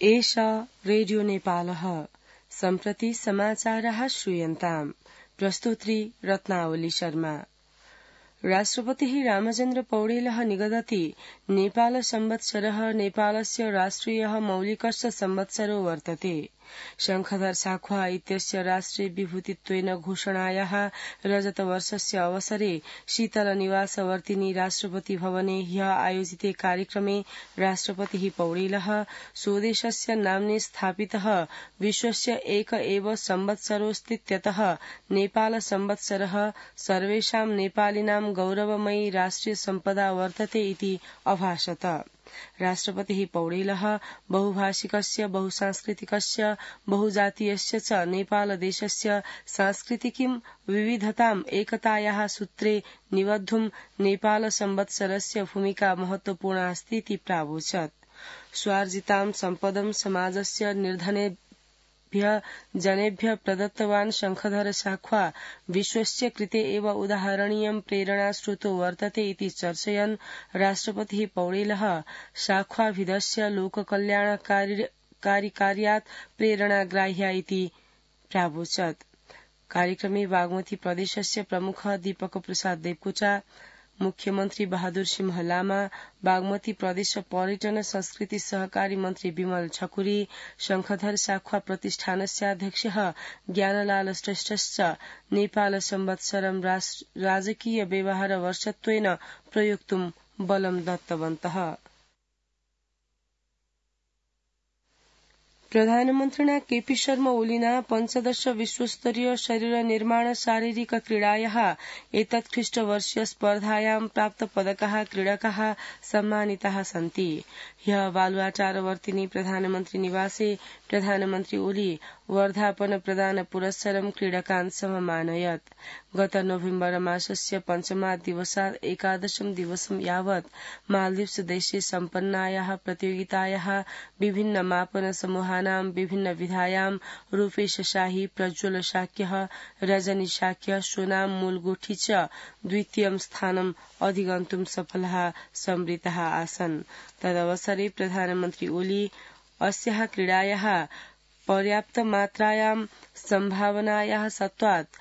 एषा रेडियो नेपालः सम्प्रति समाचारः श्रूयन्ताम् प्रस्तुत्री रत्नावली शर्मा। राष्ट्रपतिः रामचन्द्र पौडेलः निगदति नेपाल संवत्सरः नेपालस्य राष्ट्रियः मौलिकस्य संवत्सरो वर्तते। शङ्खधर साख्वा इत्यस्य राष्ट्रिय विभूतित्वेन घोषणायाः रजतवर्षस्य अवसरे शीतल निवासवर्तिनी राष्ट्रपति भवने ह्यः आयोजिते कार्यक्रमे राष्ट्रपतिः पौडेलः स्वदेशस्य नाम्ने स्थापितः विश्वस्य एक एव संवत्सरोऽस्तीत्यतः नेपाल संवत्सरः सर्वेषां नेपालिनां गौरवमयी राष्ट्रिय सम्पदा वर्तते इति अभाषत। राष्ट्रपतिः पौडेलः बहुभाषिकस्य बहुसांस्कृतिकस्य बहुजातीयस्य च नेपालदेशस्य सांस्कृतिकीं विविधताम् एकतायाः सूत्रे निबद्धुं नेपाल संवत्सरस्य भूमिका महत्वपूर्णा अस्तीति प्रावोचत्। स्वार्जितां सम्पदं समाजस्य निर्धनेभ्यः जनेभ्यः प्रदत्तवान् शङ्खधर साख्वा विश्वस्य कृते एव उदाहरणीयं प्रेरणास्रोतो वर्तते इति चर्चयन् राष्ट्रपतिः पौडेलः साख्वाभिधस्य लोककल्याणकारी कार्यात् प्रेरणाग्राह्या इति प्रावोचत्। कार्यक्रमे बागमती प्रदेशस्य प्रमुख दीपक प्रसाद देवकोटा, मुख्यमन्त्री बहादुर सिंह लामा, बागमती प्रदेश पर्यटन संस्कृति सहकारी मन्त्री विमल ठकुरी, शङ्खधर साख्वा प्रतिष्ठानस्याध्यक्षः ज्ञानलाल श्रेष्ठश्च नेपाल संवत्सरं राजकीय व्यवहार वर्षत्वेन प्रयोक्तुं बलं दत्तवन्तः। प्रधानमन्त्रिणा केपी शर्मा ओलीना पञ्चदश विश्वस्तरीय शरीर निर्माण शारीरिक क्रीडायाः एतत्ख्रीष्टवर्षीय स्पर्धायां प्राप्त पदकाः क्रीडकाः सम्मानिताः सन्ति। ह्यः बालुवाटारवर्तिनी प्रधानमन्त्री निवासे प्रधानमन्त्री ओली वर्धापन प्रदान पुरस्सरं क्रीडकान् सममानयत्। गत नोभेम्बर मासस्य पञ्चमात् दिवसात् एकादशं दिवसं यावत् मालदीव्स देशे सम्पन्नायाः प्रतियोगितायाः विभिन्न मापन समूहानां विभिन्न विधायां रूपेश शाही, प्रज्वल शाक्यः, रजनी शाक्य, सोनाम मूलगोठी च द्वितीयं स्थानम् अधिगन्तुं सफलाः संवृत्ताः आसन्। तदवसरे प्रधानमन्त्री ओली अस्याः क्रीडायाः पर्याप्त मात्रायां सम्भावनायाः सत्त्वात्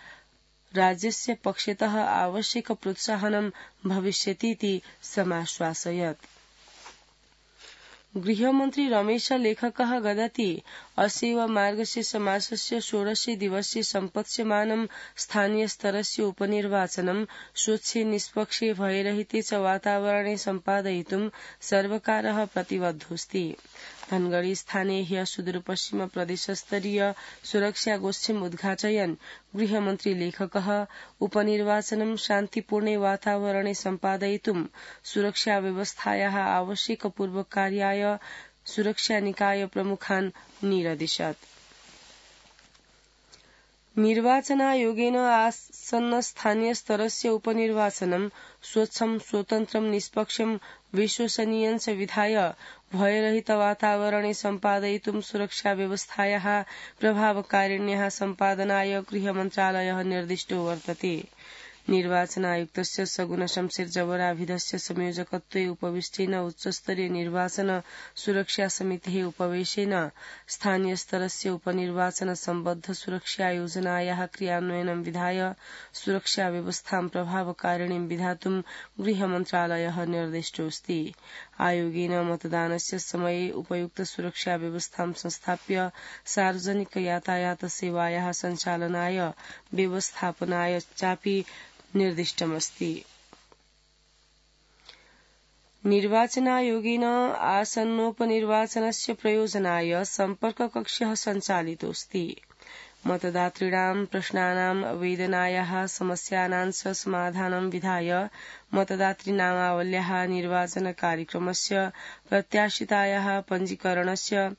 राज्यस्य पक्षतः आवश्यक प्रोत्साहनं भविष्यतीति समाश्वासयत्। गृहमन्त्री रमेश लेखकः गदति अस्यैव मार्गशीर्ष मासस्य 16 दिवसे सम्पत्स्यमानं स्थानीयस्तरस्य उपनिर्वाचनं स्वच्छे निष्पक्षे भयरहिते च वातावरणे सम्पादयितुं सर्वकारः प्रतिबद्धोऽस्ति। धनगढ़ी स्थाने ह्यः सुदूरपश्चिम प्रदेशस्तरीय सुरक्षा गोष्ठीम् उद्घाटयन् गृहमन्त्री लेखकः उपनिर्वाचनं शान्तिपूर्णे वातावरणे सम्पादयितुं सुरक्षा व्यवस्थायाः आवश्यक पूर्वकार्याय सुरक्षा निकाय प्रमुखान् निरदिशत्। निर्वाचनायोगेन आसन्न स्थानीय स्तरस्य उपनिर्वाचनं स्वच्छं, स्वतन्त्रं, निष्पक्षं, विश्वसनीयञ्च विधाय भयरहित वातावरणे सम्पादयितुं सुरक्षा व्यवस्थायाः प्रभावकारिण्याः सम्पादनाय गृहमन्त्रालयः निर्दिष्टो वर्तते। निर्वाचनायुक्तस्य सगुण शमशेर जबराभिधस्य संयोजकत्वे उपविष्टेन उच्चस्तरीय निर्वाचन सुरक्षा समितेः उपवेशेन स्थानीय स्तरस्य उपनिर्वाचन सम्बद्ध सुरक्षा योजनायाः क्रियान्वयनं विधाय सुरक्षा व्यवस्थां प्रभावकारिणीं विधातुं गृहमन्त्रालयः निर्दिष्टोऽस्ति। आयोगेन मतदानस्य समये उपयुक्त सुरक्षा व्यवस्थां संस्थाप्य सार्वजनिक यातायात सेवायाः सञ्चालनाय व्यवस्थापनाय चापि निर्दिष्टमस्ति। निर्वाचनायोगेन आसन्नोपनिर्वाचनस्य प्रयोजनाय सम्पर्ककक्षः सञ्चालितोऽस्ति। मतदातॄणां प्रश्नानां वेदनायाः समस्यानां च समाधानं विधाय मतदातृनामावल्याः निर्वाचन कार्यक्रमस्य प्रत्याशितायाः पञ्जीकरणस्य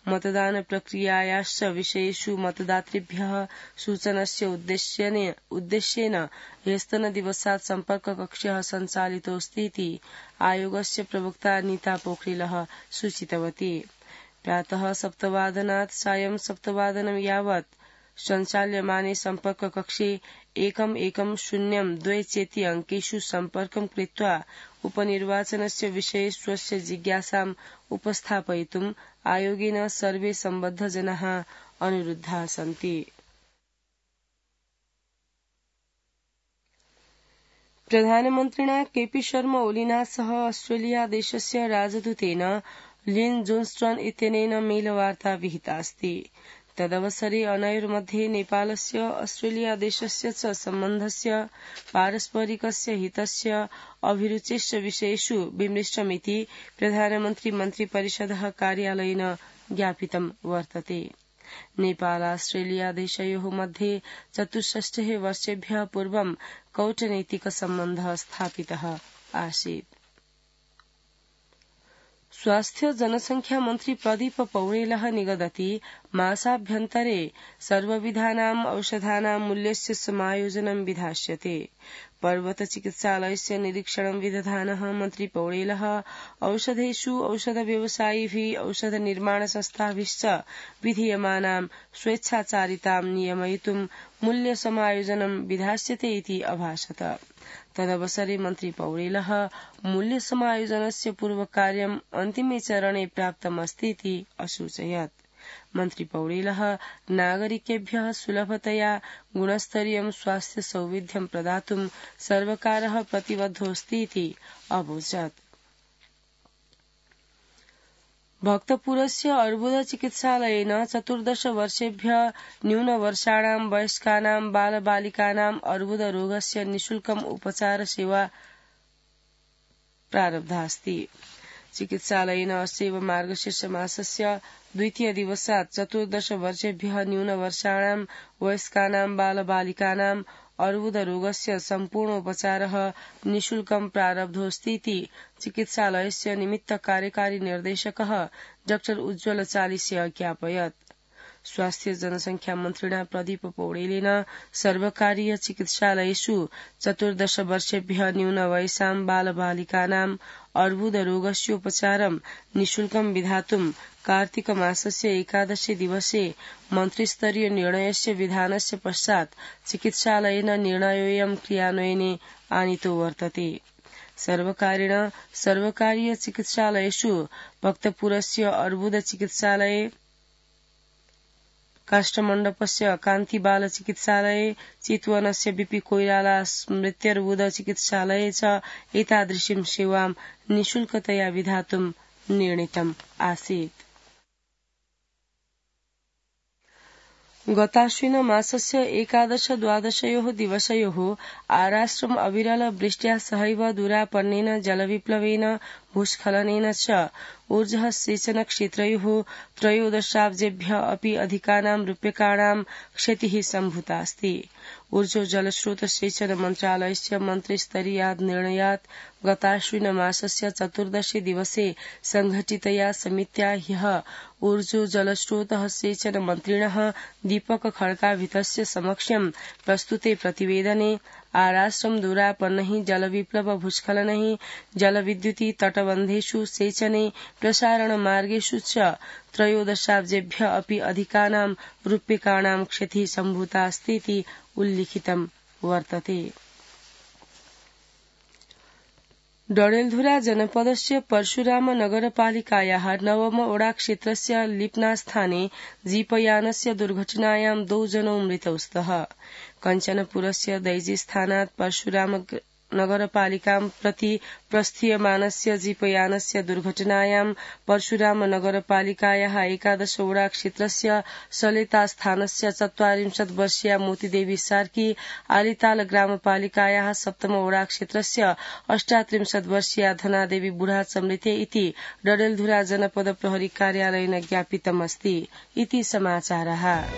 मतदान प्रक्रियायाश्च विषयेषु मतदातृभ्यः सूचनस्य उद्देश्येन ह्यस्तनदिवसात् सम्पर्ककक्षः सञ्चालितोऽस्तीति आयोगस्य प्रवक्ता नीता पोखरेलः सूचितवती। प्रातः 7 वादनात् सायं 7 वादनं यावत् सञ्चाल्यमाने सम्पर्ककक्षे 1102 चेति अङ्केषु सम्पर्कं कृत्वा उपनिर्वाचनस्य विषये स्वस्य जिज्ञासाम् उपस्थापयितुम् आयोगेन सर्वे सम्बद्धजनाः अनुरुद्धाः सन्ति। प्रधानमन्त्रिणा केपी शर्मा ओलिना सह ऑस्ट्रेलिया देशस्य राजदूतेन लिन जोन्स्टन इत्यनेन मेलवार्ता विहिता अस्ति। तदवसरे अनयोर्मध्ये नेपालस्य ऑस्ट्रेलिया देशस्य च सम्बन्धस्य पारस्परिकस्य हितस्य अभिरुचेश्च विषयेषु विमृष्टमिति प्रधानमन्त्री मन्त्रिपरिषदः कार्यालयेन ज्ञापितं वर्तते। नेपाल ऑस्ट्रेलिया देशयोः मध्ये 64 वर्षेभ्यः पूर्वं कौटनैतिक सम्बन्धः स्थापितः आसीत्। स्वास्थ्य जनसंख्या मन्त्री प्रदीप पौडेलः निगदति मासाभ्यन्तरे सर्वविधानाम् औषधानां मूल्यस्य समायोजनं विधास्यते। पर्वत चिकित्सालयस्य निरीक्षणं विदधानः मन्त्री पौडेलः औषधेषु औषध व्यवसायिभिः औषध निर्माण संस्थाभिश्च विधीयमानां स्वेच्छाचारितां नियमयितुं मूल्य समायोजनं विधास्यते इति अभाषत। तदवसरे मन्त्री पौडेलः मूल्य समायोजनस्य पूर्वकार्यम् अन्तिमे चरणे प्राप्तमस्ति इति असूचयत्। मन्त्री पौडेलः नागरिकेभ्यः सुलभतया गुणस्तरीयं स्वास्थ्य सौविध्यं प्रदातुं सर्वकारः प्रतिबद्धोऽस्ति इति अवोचत्। भक्तपुरस्य अर्बुद चिकित्सालयेन 14 वर्षेभ्यः न्यूनवर्षाणां वयस्कानां बालबालिकानाम् अर्बुद रोगस्य निःशुल्कम् उपचार सेवा प्रारब्धा अस्ति। चिकित्सालयेन अस्यैव मार्गशीर्ष मासस्य द्वितीय दिवसात् 14 वर्षेभ्यः न्यूनवर्षाणां वयस्कानां बालबालिकानाम् अर्बुद रोगस्य सम्पूर्णोपचारः निःशुल्कं प्रारब्धोऽस्ति इति चिकित्सालयस्य निमित्त कार्यकारी निर्देशकः डॉ उज्ज्वल चालिसे ज्ञापयत्। स्वास्थ्य जनसंख्या मन्त्रिणा प्रदीप पौडेलेन सर्वकारीय चिकित्सालयेषु 14 वर्षेभ्यः न्यूनवयसां बालबालिकानाम् अर्बुद रोगस्योपचारं निःशुल्कं विधातुं कार्तिक मासस्य 11 दिवसे मन्त्रिस्तरीय निर्णयस्य विधानस्य पश्चात् चिकित्सालयेन निर्णयोऽयं क्रियान्वयने आनीतो वर्तते। सर्वकारेण सर्वकारीय चिकित्सालयेषु भक्तपुरस्य अर्बुद चिकित्सालये, काष्ठमण्डपस्य कान्तिबाल चिकित्सालये, चितवनस्य बीपी कोइराला स्मृत्यर्बुद चिकित्सालये च एतादृशीं सेवां निःशुल्कतया विधातुं निर्णीतम् आसीत्। गताश्विन मासस्य 11-12 दिवसयोः आराष्ट्रम् अविरल वृष्ट्या सहैव दूरापन्नेन जलविप्लवेन भूस्खलनेन च ऊर्जः सेचन क्षेत्रयोः 13 अपि अधिकानां रूप्यकाणां क्षतिः सम्भूता अस्ति। ऊर्जो जलस्रोत सेचन मन्त्रालयस्य मन्त्रिस्तरीयात् निर्णयात् गताश्विन मासस्य 14 दिवसे संघटितया समित्या ह्यः ऊर्जो जलस्रोतः सेचन मन्त्रिणः दीपक खड्काभितस्य समक्षं प्रस्तुते प्रतिवेदने आराष्ट्रं दूरापन्नैः जलविप्लव भूस्खलनैः जलविद्युति तटबन्धेषु सेचने प्रसारणमार्गेषु च 13 अपि अधिकानां रूप्यकाणां क्षतिः सम्भूता अस्ति इति उल्लिखितं वर्तते। डडेलधुरा जनपदस्य परशुराम नगरपालिकायाः 9 ओडाक्षेत्रस्य लिप्नास्थाने जीपयानस्य दुर्घटनायां 2 जनौ मृतौ स्तः। कञ्चनपुरस्य दैजीस्थानात् परशुराम नगरपालिकां प्रति प्रस्थीयमानस्य जीपयानस्य दुर्घटनायां परशुराम नगरपालिकायाः 11 ओडाक्षेत्रस्य सलेतास्थानस्य 44 वर्षीया मोतीदेवी सार्की, आलिताल ग्रामपालिकायाः 7 ओडाक्षेत्रस्य 38 वर्षीया धनादेवी बुढा मृते इति डडेलधुरा जनपद प्रहरी कार्यालयेन ज्ञापितमस्ति इति समाचारः।